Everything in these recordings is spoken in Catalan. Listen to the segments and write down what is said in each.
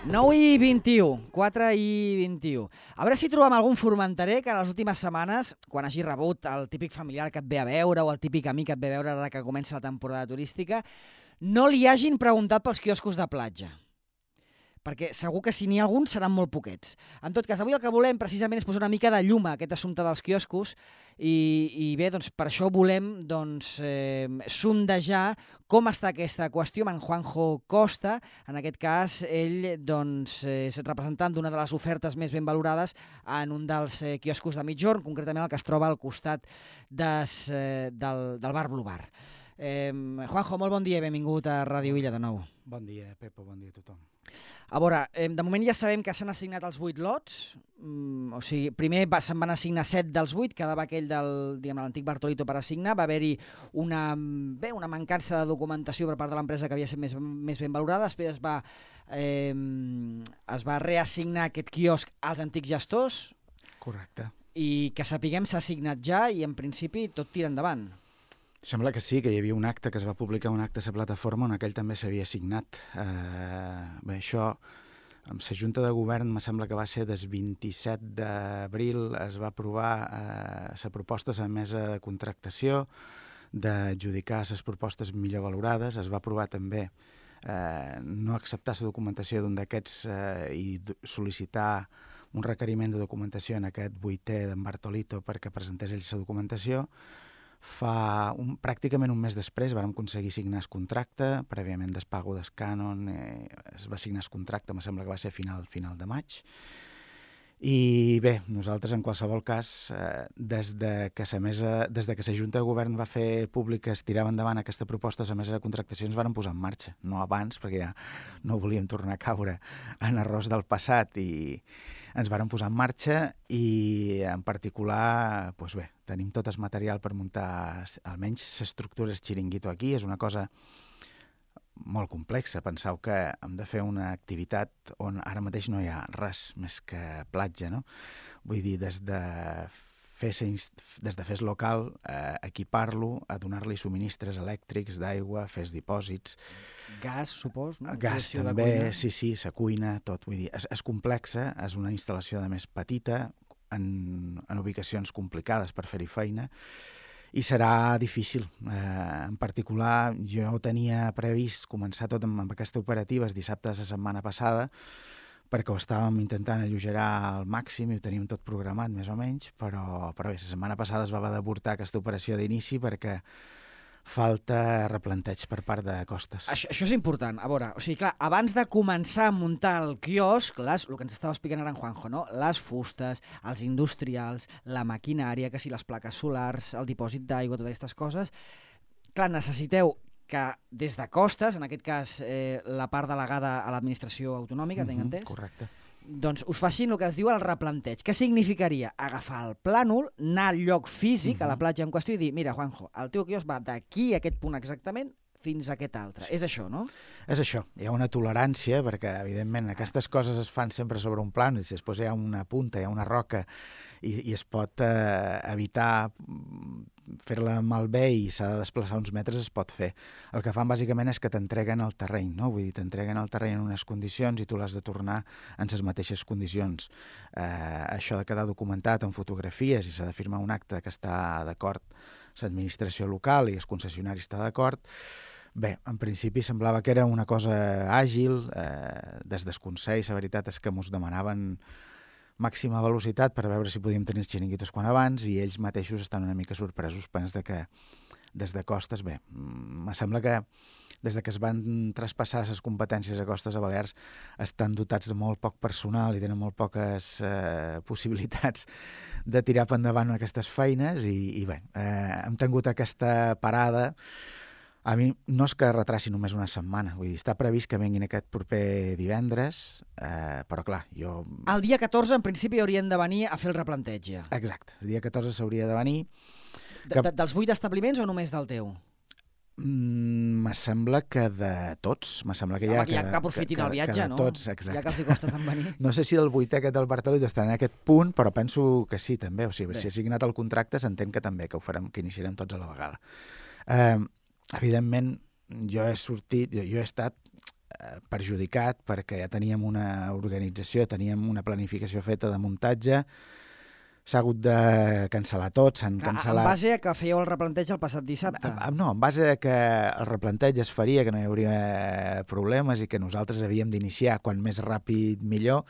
9 i 21, 4 i 21. A veure si trobem algun formenterer que en les últimes setmanes, quan hagi rebut el típic familiar que et ve a veure o el típic amic que et ve a veure ara que comença la temporada turística, no li hagin preguntat pels quioscos de platja. Perquè segur que si n'hi ha alguns seran molt poquets. En tot cas, avui el que volem precisament és posar una mica de llum a aquest assumpte dels quioscos i bé, doncs, per això volem sondejar com està aquesta qüestió amb en Juanjo Costa. En aquest cas, ell és representant d'una de les ofertes més ben valorades en un dels quioscos de Migjorn, concretament el que es troba al costat del bar Blue Bar. Juanjo, molt bon dia i benvingut a Ràdio Illa de nou. Bon dia, Pepo, bon dia a tothom. A veure, de moment ja sabem que s'han assignat els 8 lots, o sigui, primer se'n van assignar 7 dels 8, quedava aquell de l'antic Bartolito per assignar, va haver-hi una mancança de documentació per part de l'empresa que havia estat més ben valorada, després es va reassignar aquest quiosc als antics gestors. Correcte. I que sapiguem s'ha assignat ja i en principi tot tira endavant. Sembla que sí, que hi havia un acte, que es va publicar un acte a la plataforma on aquell també s'havia assignat. Bé, això, amb la Junta de Govern, me sembla que va ser des 27 d'abril, es va aprovar la proposta a la mesa de contractació, d'adjudicar les propostes millor valorades. Es va aprovar també no acceptar la documentació d'un d'aquests i sol·licitar un requeriment de documentació en aquest 8è d'en Bartolito perquè presentés ell la documentació. Pràcticament un mes després vam aconseguir signar el contracte, prèviament del pago del cànon, es va signar el contracte, em sembla que va ser final de maig. I bé, nosaltres en qualsevol cas, des de que la Junta de Govern va fer públic que es tirava endavant aquesta proposta, la mesa de contractació ens van posar en marxa, no abans, perquè ja no volíem tornar a caure en errors del passat i ens varen posar en marxa i en particular, doncs bé, tenim tot el material per muntar almenys l'estructura del xiringuito aquí. És una cosa molt complexa. Penseu que hem de fer una activitat on ara mateix no hi ha res més que platja, no? Vull dir, des de fer el local, equipar-lo, a donar-li subministres elèctrics, d'aigua, fer els dipòsits. Gas, supos, no? Gas també, sí, la cuina, tot. Vull dir, és complexa, és una instal·lació de més petita, en ubicacions complicades per fer-hi feina, i serà difícil. En particular, jo tenia previst començar tot amb aquesta operativa el dissabte de la setmana passada, perquè ho estàvem intentant alleugerar al màxim i ho teníem tot programat, més o menys, però bé, la setmana passada es va haver d'avortar aquesta operació d'inici perquè falta replanteig per part de Costes. Això és important. A veure, o sigui, clar, abans de començar a muntar el quiosc, el que ens estava explicant ara en Juanjo, no? Les fustes, els industrials, la maquinària, que si les plaques solars, el dipòsit d'aigua, totes aquestes coses, clar, necessiteu que des de Costes, en aquest cas la part delegada a l'administració autonòmica, tinc entès? Correcte. Doncs us facin el que es diu el replanteig. Què significaria? Agafar el plànol, anar al lloc físic, a la platja en qüestió, i dir, mira, Juanjo, el teu quiosc va d'aquí a aquest punt exactament fins a aquest altre. Sí. És això, no? És això. Hi ha una tolerància, perquè, evidentment, aquestes coses es fan sempre sobre un plànol, i després hi ha una punta, hi ha una roca, i es pot evitar fer-la malbé i s'ha de desplaçar uns metres, es pot fer. El que fan bàsicament és que t'entreguen el terreny, no? Vull dir, t'entreguen el terreny en unes condicions i tu l'has de tornar en les mateixes condicions. Això de quedar documentat en fotografies i s'ha de firmar un acte que està d'acord l'administració local i el concessionari està d'acord. Bé, en principi semblava que era una cosa àgil. Des del Consell, la veritat és que mos demanaven màxima velocitat per veure si podíem tenir els xiringuitos quan abans i ells mateixos estan una mica sorpresos pens de que des de Costes, bé, me sembla que des de que es van traspassar les competències a Costes a Balears estan dotats de molt poc personal i tenen molt poques possibilitats de tirar per endavant aquestes feines i bé, hem tingut aquesta parada. A mi no és que retraci només una setmana, vull dir, està previst que vinguin aquest proper divendres, però clar, jo... El dia 14, en principi, haurien de venir a fer el replanteig ja. Exacte, el dia 14 s'hauria de venir. Dels 8 establiments o només del teu? Me sembla que de tots. Me sembla que ja que aprofitin el viatge, no? Tots, exacte. Ja que els hi costa tant venir. No sé si del 8è aquest del Bartolito està en aquest punt, però penso que sí, també. O sigui, si ha signat el contracte, s'entén que també, que ho farem, que iniciarem tots a la vegada. Evidentment, jo he estat perjudicat perquè ja teníem una organització, teníem una planificació feta de muntatge, s'ha hagut de cancel·lar tot, s'han cancel·lat... En base a que fèieu el replanteig el passat dissabte? No, en base a que el replanteig es faria, que no hi hauria problemes i que nosaltres havíem d'iniciar quan més ràpid millor,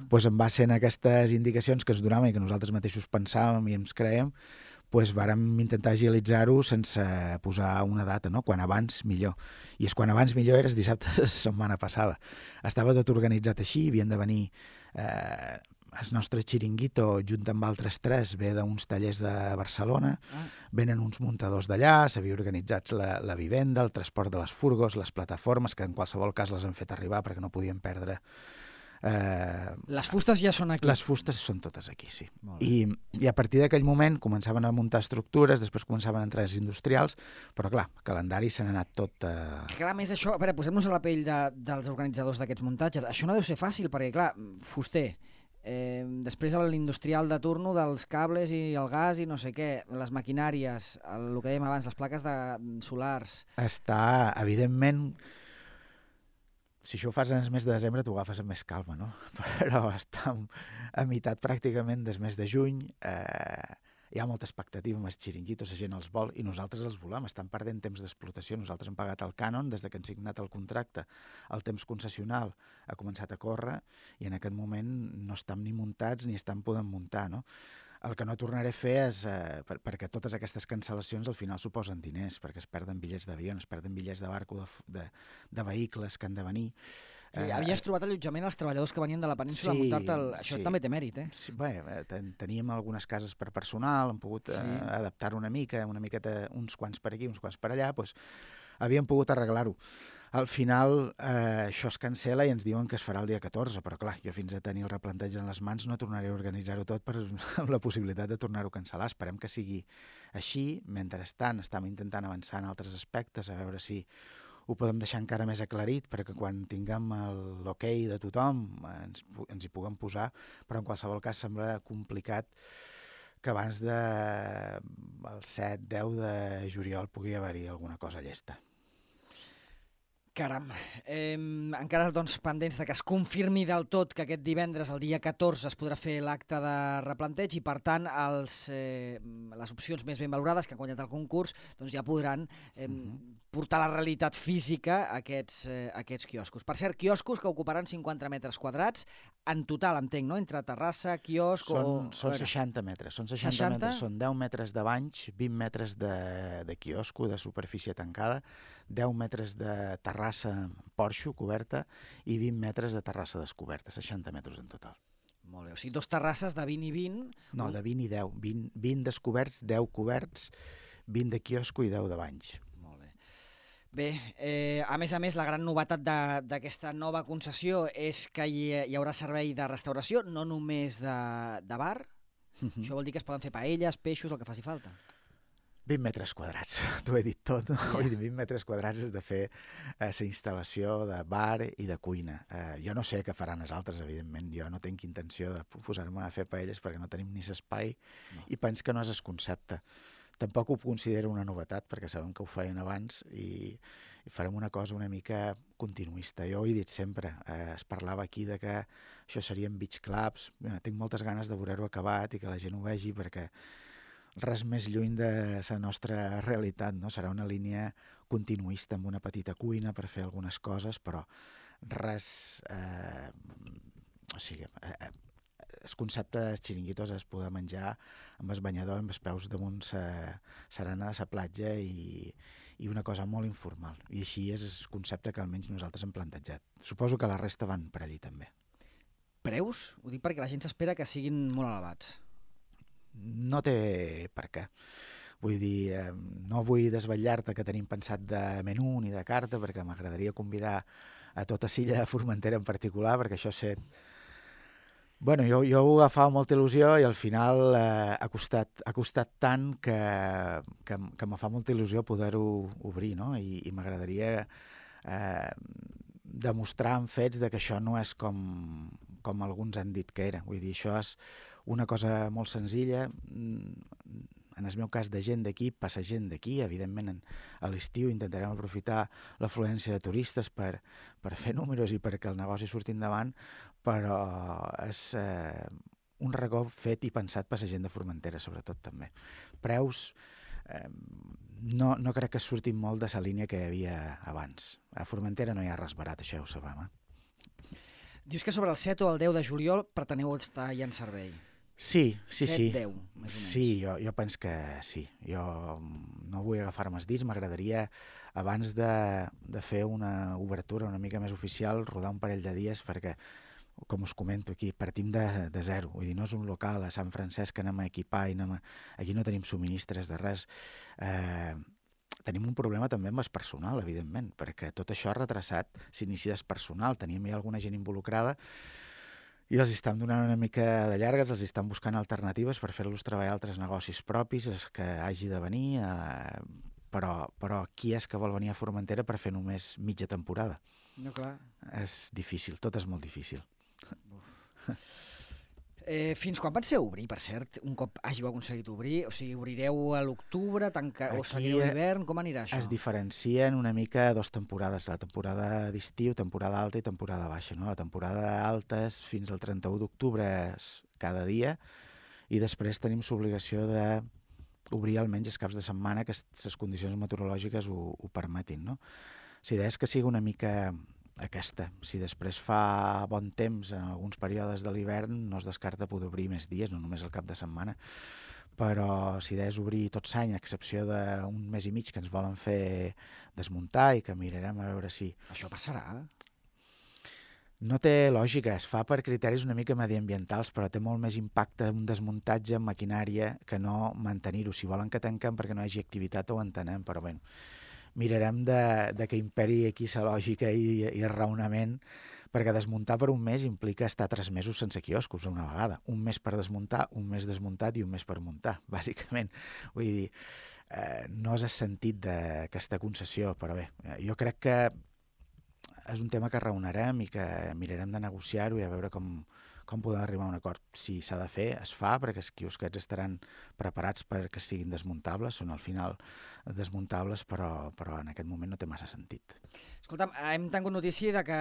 doncs en base a aquestes indicacions que es donaven i que nosaltres mateixos pensàvem i ens creiem, doncs vàrem intentar agilitzar-ho sense posar una data, no? Quan abans millor. I és quan abans millor era dissabte de la setmana passada. Estava tot organitzat així, havien de venir... El nostre xiringuito, junt amb altres 3, ve d'uns tallers de Barcelona, venen uns muntadors d'allà, s'havia organitzat la vivenda, el transport de les furgos, les plataformes, que en qualsevol cas les han fet arribar perquè no podien perdre. Les fustes ja són aquí? Les fustes són totes aquí, sí. I a partir d'aquell moment començaven a muntar estructures, després començaven a entrar els industrials, però clar, el calendari se n'ha anat tot... Clar, més això, a veure, posem-nos a la pell dels organitzadors d'aquests muntatges. Això no deu ser fàcil, perquè clar, fuster... després l'industrial de turno dels cables i el gas i no sé què, les maquinàries, el que dèiem abans, les plaques solars... Està, evidentment, si això ho fas en el mes de desembre t'ho agafes amb més calma, no? Però està a meitat pràcticament del mes de juny, hi ha molta expectativa amb els xiringuitos, la gent els vol i nosaltres els volem, estan perdent temps d'explotació, nosaltres hem pagat el cànon des que han signat el contracte, el temps concessional ha començat a córrer i en aquest moment no estan ni muntats ni estan podent muntar, no? El que no tornaré a fer és, perquè totes aquestes cancel·lacions al final suposen diners, perquè es perden bitllets d'avió, es perden bitllets de barco, de vehicles que han de venir. Havies trobat allotjament als treballadors que venien de la península a muntar-te... Això també té mèrit, eh? Sí, bé, teníem algunes cases per personal, hem pogut adaptar una miqueta, uns quants per aquí, uns quants per allà, doncs havíem pogut arreglar-ho. Al final això es cancel·la i ens diuen que es farà el dia 14, però clar, jo fins a tenir el replanteig en les mans no tornaré a organitzar-ho tot amb la possibilitat de tornar-ho a cancel·lar. Esperem que sigui així. Mentrestant estem intentant avançar en altres aspectes, a veure si ho podem deixar encara més aclarit perquè quan tinguem l'ok de tothom ens hi puguem posar, però en qualsevol cas sembla complicat que abans del 7-10 de juliol pugui haver-hi alguna cosa llesta. Caram, encara doncs pendents de que es confirmi del tot que aquest divendres, el dia 14, es podrà fer l'acte de replanteig i, per tant, les opcions més ben valorades que han guanyat el concurs doncs ja podran portar la realitat física a aquests quioscos. Per cert, quioscos que ocuparan 50 metres quadrats en total, entenc, no? Entre terrassa, quiosc... Són 60 metres, són 60 metres, són 10 metres de banys, 20 metres de quiosco, de superfície tancada, 10 metres de terrassa porxo coberta i 20 metres de terrassa descoberta, 60 metres en total. Molt bé, o sigui, 2 terrasses de 20 i 20... No, de 20 i 10, 20 descoberts, 10 coberts, 20 de quiosco i 10 de banys. Bé, a més, la gran novetat d'aquesta nova concessió és que hi haurà servei de restauració, no només de bar. Això vol dir que es poden fer paelles, peixos, el que faci falta. 20 metres quadrats, t'ho he dit tot, no? 20 metres quadrats és de fer la instal·lació de bar i de cuina. Jo no sé què faran els altres, evidentment. Jo no tinc intenció de posar-me a fer paelles perquè no tenim ni l'espai i penso que no és el concepte. Tampoc ho considero una novetat, perquè sabem que ho feien abans i farem una cosa una mica continuista. Jo ho he dit sempre, es parlava aquí de que això serien beach clubs. Tinc moltes ganes de veure-ho acabat i que la gent ho vegi, perquè res més lluny de la nostra realitat, no? Serà una línia continuista amb una petita cuina per fer algunes coses, però res... O sigui... El concepte dels xiringuitos és poder menjar amb el banyador, amb els peus damunt serena de la platja i una cosa molt informal. I així és el concepte que almenys nosaltres hem plantejat. Suposo que la resta van per allí també. Preus? Ho dic perquè la gent s'espera que siguin molt elevats. No té per què. Vull dir, no vull desvetllar-te que tenim pensat de menú ni de carta, perquè m'agradaria convidar a tota l'illa de Formentera en particular, perquè això és... Bueno, jo ho agafava molta il·lusió i al final ha costat tant que me fa molta il·lusió poder-ho obrir, no? I m'agradaria demostrar amb fets que això no és com alguns han dit que era. Vull dir, això és una cosa molt senzilla. en el meu cas, de gent d'aquí, passa gent d'aquí. Evidentment, a l'estiu intentarem aprofitar l'afluència de turistes per fer números i perquè el negoci surti endavant, però és un racó fet i pensat per la gent de Formentera, sobretot, també. Preus, no crec que surtin molt de la línia que hi havia abans. A Formentera no hi ha res barat, això ja ho sabem, Dius que sobre el 7 o el 10 de juliol preteneu estar ja en servei. Sí. 7-10, més o menys. Sí, jo penso que sí. Jo no vull agafar-me els dits, m'agradaria, abans de fer una obertura una mica més oficial, rodar un parell de dies, perquè, com us comento aquí, partim de zero. Vull dir, no és un local a Sant Francesc que anem a equipar i aquí no tenim subministres de res. Tenim un problema també amb el personal, evidentment, perquè tot això ha retrasat l'inici del personal. Teníem ja alguna gent involucrada i els estan donant una mica de llargues, els estan buscant alternatives per fer-los treballar altres negocis propis, els que hagi de venir, però qui és que vol venir a Formentera per fer només mitja temporada? No, clar. És difícil, tot és molt difícil. Fins quan penseu obrir, per cert, un cop hàgiu aconseguit obrir? O sigui, obrireu a l'octubre, o seguireu l'hivern? Com anirà això? Es diferencien una mica dues temporades, la temporada d'estiu, temporada alta i temporada baixa. No? La temporada alta és fins al 31 d'octubre cada dia i després tenim l'obligació d'obrir almenys els caps de setmana que les condicions meteorològiques ho permetin. No? La idea és que sigui una mica aquesta. Si després fa bon temps en alguns períodes de l'hivern, no es descarta poder obrir més dies, no només el cap de setmana. Però la idea és obrir tot l'any, a excepció d'un mes i mig que ens volen fer desmuntar i que mirarem a veure si... Això passarà? No té lògica, es fa per criteris una mica mediambientals, però té molt més impacte un desmuntatge amb maquinària que no mantenir-ho. Si volen que tanquem perquè no hi hagi activitat ho entenem, però bé, mirarem de que imperi aquí la lògica i el raonament, perquè desmuntar per un mes implica estar 3 mesos sense quioscos una vegada. Un mes per desmuntar, un mes desmuntat i un mes per muntar, bàsicament. Vull dir, no és el sentit d'aquesta concessió, però bé, jo crec que és un tema que raonarem i que mirarem de negociar-ho i a veure com podem arribar a un acord. Si s'ha de fer, es fa, perquè els quiosquets estaran preparats perquè siguin desmuntables, són al final desmuntables, però en aquest moment no té massa sentit. Escolta'm, hem tingut notícia de que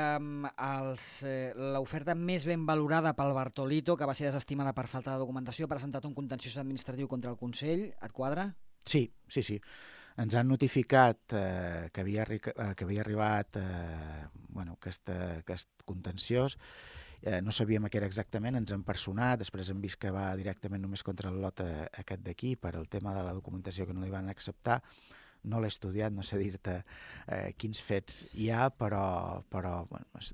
l'oferta més ben valorada pel Bartolito, que va ser desestimada per falta de documentació, ha presentat un contenciós administratiu contra el Consell. Et quadra? Sí. Ens han notificat que havia arribat aquest contenciós. No sabíem què era exactament, ens han personat, després hem vist que va directament només contra el lot aquest d'aquí per el tema de la documentació que no li van acceptar. No l'he estudiat, no sé dir-te quins fets hi ha, però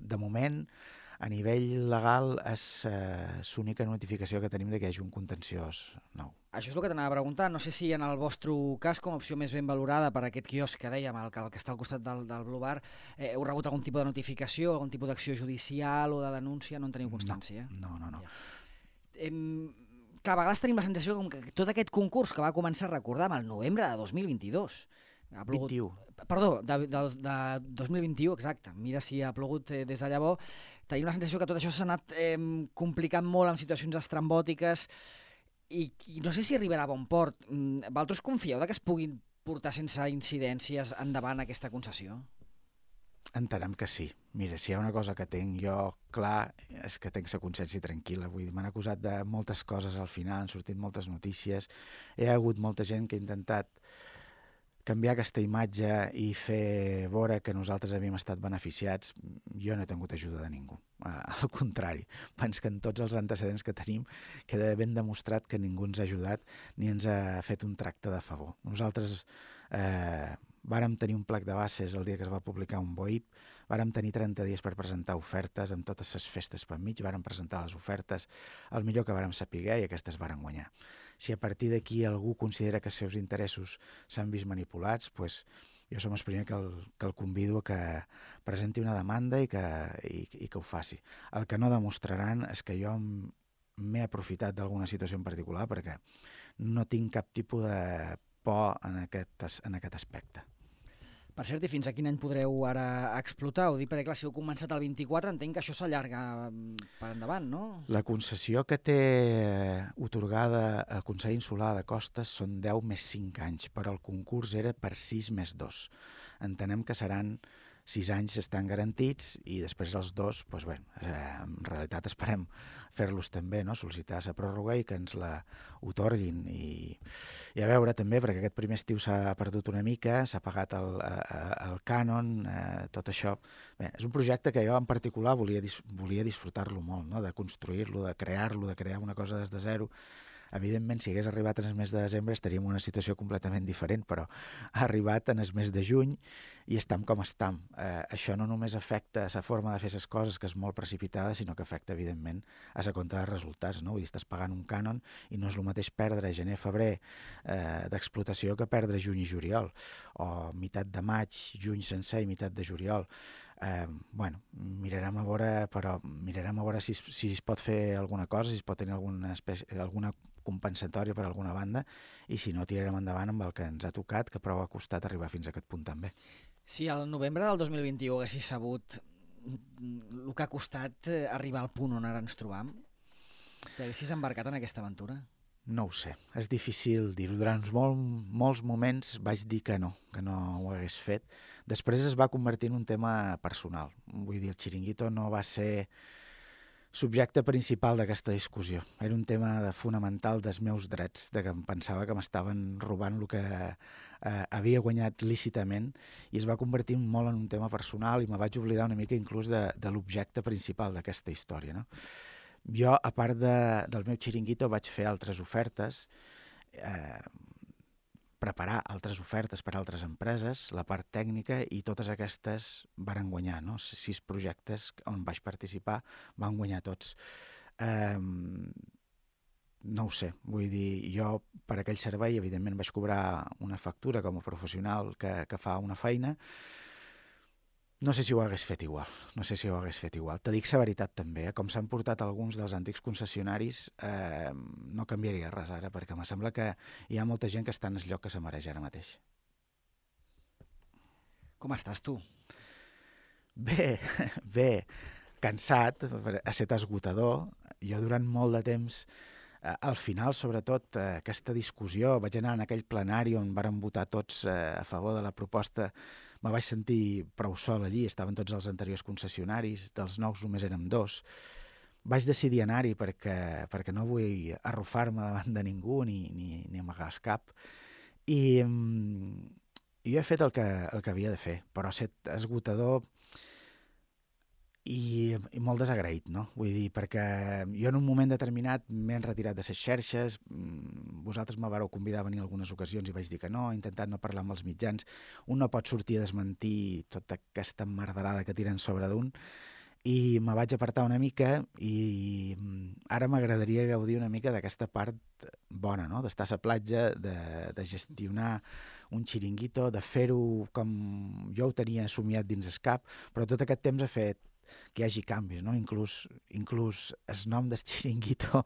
de moment, a nivell legal, és l'única notificació que tenim que hi hagi un contenciós nou. Això és el que t'anava a preguntar. No sé si en el vostre cas, com a opció més ben valorada per aquest quiosc que dèiem, el que està al costat del Blue Bar, heu rebut algun tipus de notificació, algun tipus d'acció judicial o de denúncia? No en teniu constància? No. Ja. Clar, a vegades tenim la sensació com que tot aquest concurs que va començar, recordam, el novembre de 2022. Ha plogut... 21. Perdó, de 2021, exacte. Mira si ha plogut des de llavors. Tenim la sensació que tot això s'ha anat complicant molt en situacions estrambòtiques i no sé si arribarà a bon port. Vosaltres confieu que es puguin portar sense incidències endavant aquesta concessió? Entenem que sí. Mira, si hi ha una cosa que tinc jo clar és que tinc la consciència tranquil·la. Vull dir, m'han acusat de moltes coses al final, han sortit moltes notícies, hi ha hagut molta gent que ha intentat canviar aquesta imatge i fer veure que nosaltres havíem estat beneficiats. Jo no he tingut ajuda de ningú. Al contrari, penso que en tots els antecedents que tenim queda ben demostrat que ningú ens ha ajudat ni ens ha fet un tracte de favor. Nosaltres vàrem tenir un plec de bases el dia que es va publicar un BOIP, vàrem tenir 30 dies per presentar ofertes amb totes les festes per mig, vàrem presentar les ofertes el millor que vàrem saber i aquestes vàrem guanyar. Si a partir d'aquí algú considera que els seus interessos s'han vist manipulats, doncs jo som el primer que el convido a que presenti una demanda i que ho faci. El que no demostraran és que jo m'he aprofitat d'alguna situació en particular perquè no tinc cap tipus de por en aquest aspecte. Per cert, i fins a quin any podreu ara explotar? Ho dic perquè, clar, si heu començat el 24, entenc que això s'allarga per endavant, no? La concessió que té otorgada el Consell Insular de Costes són 10 més 5 anys, però el concurs era per 6 més 2. Entenem que seran 6 anys estan garantits i després els 2, doncs bé, en realitat esperem fer-los també, no? Sol·licitar la pròrroga i que ens la otorguin. I a veure també, perquè aquest primer estiu s'ha perdut una mica, s'ha pagat el cànon, tot això. Bé, és un projecte que jo en particular volia disfrutar-lo molt, no? De construir-lo, de crear-lo, de crear una cosa des de zero. Evidentment, si hagués arribat en el mes de desembre estaríem en una situació completament diferent, però ha arribat en el mes de juny i estam com estam. Això no només afecta la forma de fer les coses, que és molt precipitada, sinó que afecta, evidentment, a la compta de resultats, no? Vull dir, estàs pagant un cànon i no és el mateix perdre gener-febrer d'explotació que perdre juny i juliol, o meitat de maig, juny sencer i meitat de juliol. Bueno, mirarem a veure si es pot fer alguna cosa, si es pot tenir alguna compensatòria per alguna banda, i si no, tirarem endavant amb el que ens ha tocat, que prou ha costat arribar fins a aquest punt també. Si al novembre del 2021 haguessis sabut el que ha costat arribar al punt on ara ens trobam, t'haguessis embarcat en aquesta aventura? No ho sé, és difícil dir-ho. Durant molts moments vaig dir que no ho hagués fet. Després es va convertir en un tema personal. Vull dir, el xiringuito no va ser subjecte principal d'aquesta discussió. Era un tema fonamental dels meus drets, de que em pensava que m'estaven robant el que havia guanyat lícitament, i es va convertir molt en un tema personal i me vaig oblidar una mica inclús de l'objecte principal d'aquesta història, no? Jo, a part del meu xiringuito, vaig fer altres ofertes, preparar altres ofertes per a altres empreses, la part tècnica, i totes aquestes varen guanyar, no? 6 projectes on vaig participar van guanyar tots. No ho sé, vull dir, jo per aquell servei evidentment vaig cobrar una factura com a professional que fa una feina. No sé si ho hagués fet igual, Te dic la veritat també, com s'han portat alguns dels antics concessionaris, no canviaria res ara, perquè em sembla que hi ha molta gent que està en el lloc que se mereix ara mateix. Com estàs tu? Bé, cansat, ha estat esgotador. Jo durant molt de temps, al final, sobretot, aquesta discussió, vaig anar en aquell plenari on varen votar tots a favor de la proposta. Me vaig sentir prou sol allí, estaven tots els anteriors concessionaris, dels nous només érem 2. Vaig decidir anar-hi perquè no vull arrufar-me davant de ningú ni amagar el cap. I jo he fet el que havia de fer, però ha estat esgotador i molt desagraït, no? Vull dir, perquè jo en un moment determinat m'he retirat de les xarxes, vosaltres me vareu convidar a venir en algunes ocasions i vaig dir que no, he intentat no parlar amb els mitjans, un no pot sortir a desmentir tota aquesta merderada que tiren sobre d'un, i me vaig apartar una mica i ara m'agradaria gaudir una mica d'aquesta part bona, no? D'estar a la platja, de gestionar un xiringuito, de fer-ho com jo ho tenia somiat dins el cap, però tot aquest temps ha fet que hi hagi canvis, no? Inclús el nom del xiringuito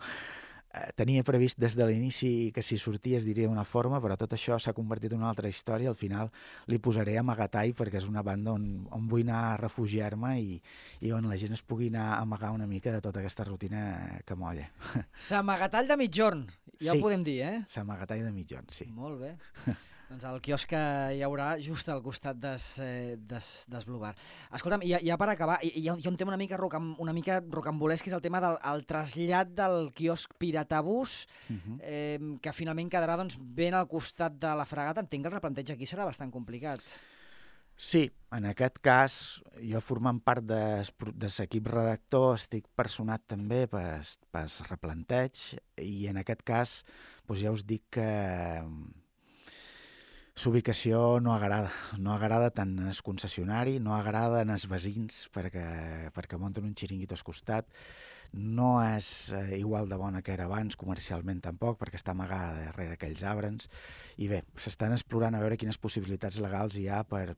tenia previst des de l'inici que si sortia es diria d'una forma, però tot això s'ha convertit en una altra història. Al final li posaré Amagatall perquè és una banda on vull anar a refugiar-me i on la gent es pugui anar a amagar una mica de tota aquesta rutina que molla. S'Amagatall de mitjorn, ja ho podem dir, eh? S'Amagatall de mitjorn, sí. Molt bé. Doncs el quiosc que hi haurà just al costat des Blue Bar. Escolta'm, ja per acabar, hi ha un tema una mica rocambolesc, que és el tema del trasllat del quiosc Piratabús, que finalment quedarà ben al costat de la fragata. Entenc que el replanteig aquí serà bastant complicat. Sí, en aquest cas, jo formant part de l'equip redactor estic personat també pel replanteig, i en aquest cas ja us dic que l'ubicació no agrada tant en el concessionari, no agrada en els veïns perquè munten un xiringuito al costat, no és igual de bona que era abans, comercialment tampoc, perquè està amagada darrere aquells arbres, i bé, s'estan explorant a veure quines possibilitats legals hi ha per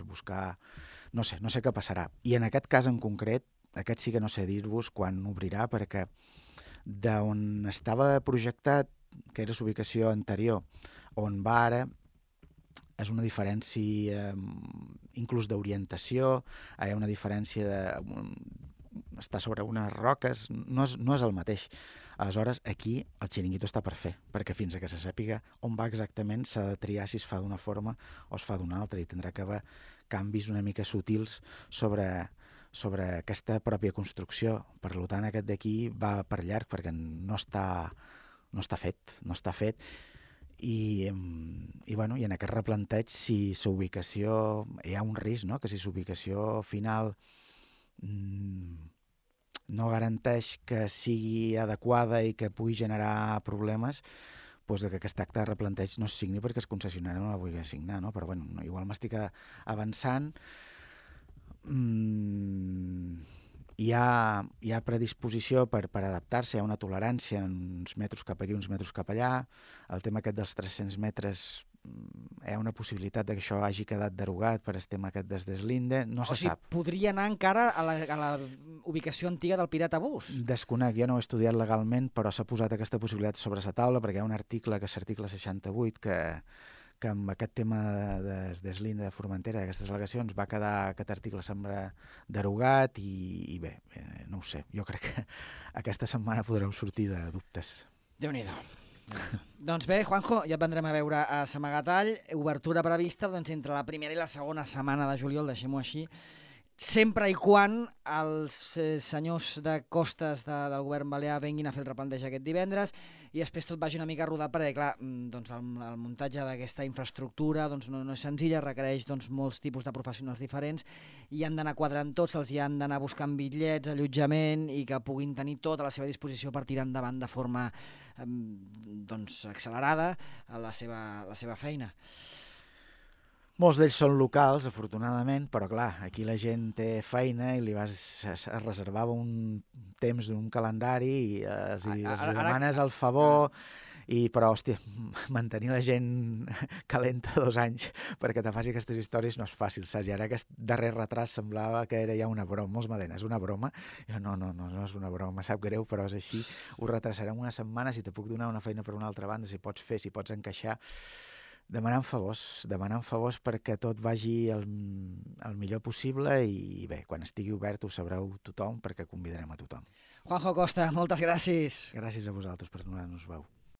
buscar, no sé què passarà. I en aquest cas en concret, aquest sí que no sé dir-vos quan obrirà, perquè d'on estava projectat, que era l'ubicació anterior, on va ara, és una diferència inclús d'orientació, hi ha una diferència estar sobre unes roques, no és el mateix. Aleshores, aquí el xiringuito està per fer, perquè fins que se sàpiga on va exactament s'ha de triar si es fa d'una forma o es fa d'una altra, i tindrà que haver canvis una mica sutils sobre aquesta pròpia construcció. Per tant, aquest d'aquí va per llarg, perquè no està fet. I en aquest replanteig, si s'ubicació, hi ha un risc, no?, que si s'ubicació final no garanteix que sigui adequada i que pugui generar problemes, doncs que aquest acte de replanteig no es signi perquè el concessionari no la vulgui signar, no? Però igual m'estic avançant. Hi ha predisposició per adaptar-se, hi ha una tolerància, uns metres cap aquí, uns metres cap allà. El tema aquest dels 300 metres, hi ha una possibilitat que això hagi quedat derogat per el tema aquest des deslinde, no se sap. Podria anar encara a la ubicació antiga del Pirata Bus? Desconec, jo no ho he estudiat legalment, però s'ha posat aquesta possibilitat sobre la taula, perquè hi ha un article, que és l'article 68, que amb aquest tema de deslinde de Formentera, d'aquestes al·legacions, va quedar aquest article sembla derogat i bé, no ho sé, jo crec que aquesta setmana podreu sortir de dubtes. Déu-n'hi-do. Doncs bé, Juanjo, ja et vendrem a veure a Samagatall. Obertura prevista entre la primera i la segona setmana de juliol, deixem-ho així, sempre i quan els senyors de costes del govern balear venguin a fer el replanteig aquest divendres i després tot vagi una mica rodat, perquè clar, doncs el muntatge d'aquesta infraestructura no és senzilla, requereix molts tipus de professionals diferents i han d'anar quadrant tots, els hi han d'anar buscant bitllets, allotjament, i que puguin tenir tot a la seva disposició per tirar endavant de forma accelerada la seva feina. Molts d'ells són locals, afortunadament, però clar, aquí la gent té feina i li es reservava un temps d'un calendari i els demanes el favor, però, hòstia, mantenir la gent calenta 2 anys perquè te faci aquestes històries no és fàcil, saps? I ara aquest darrer retras semblava que era ja una broma, molts m'ha dit, és una broma? I no és una broma, sap greu, però és així, ho retrasarem una setmana, si te puc donar una feina per una altra banda, si pots fer, si pots encaixar, demanant favors perquè tot vagi el millor possible i bé, quan estigui obert ho sabreu tothom perquè convidarem a tothom. Juanjo Costa, moltes gràcies. Gràcies a vosaltres per donar-nos veu.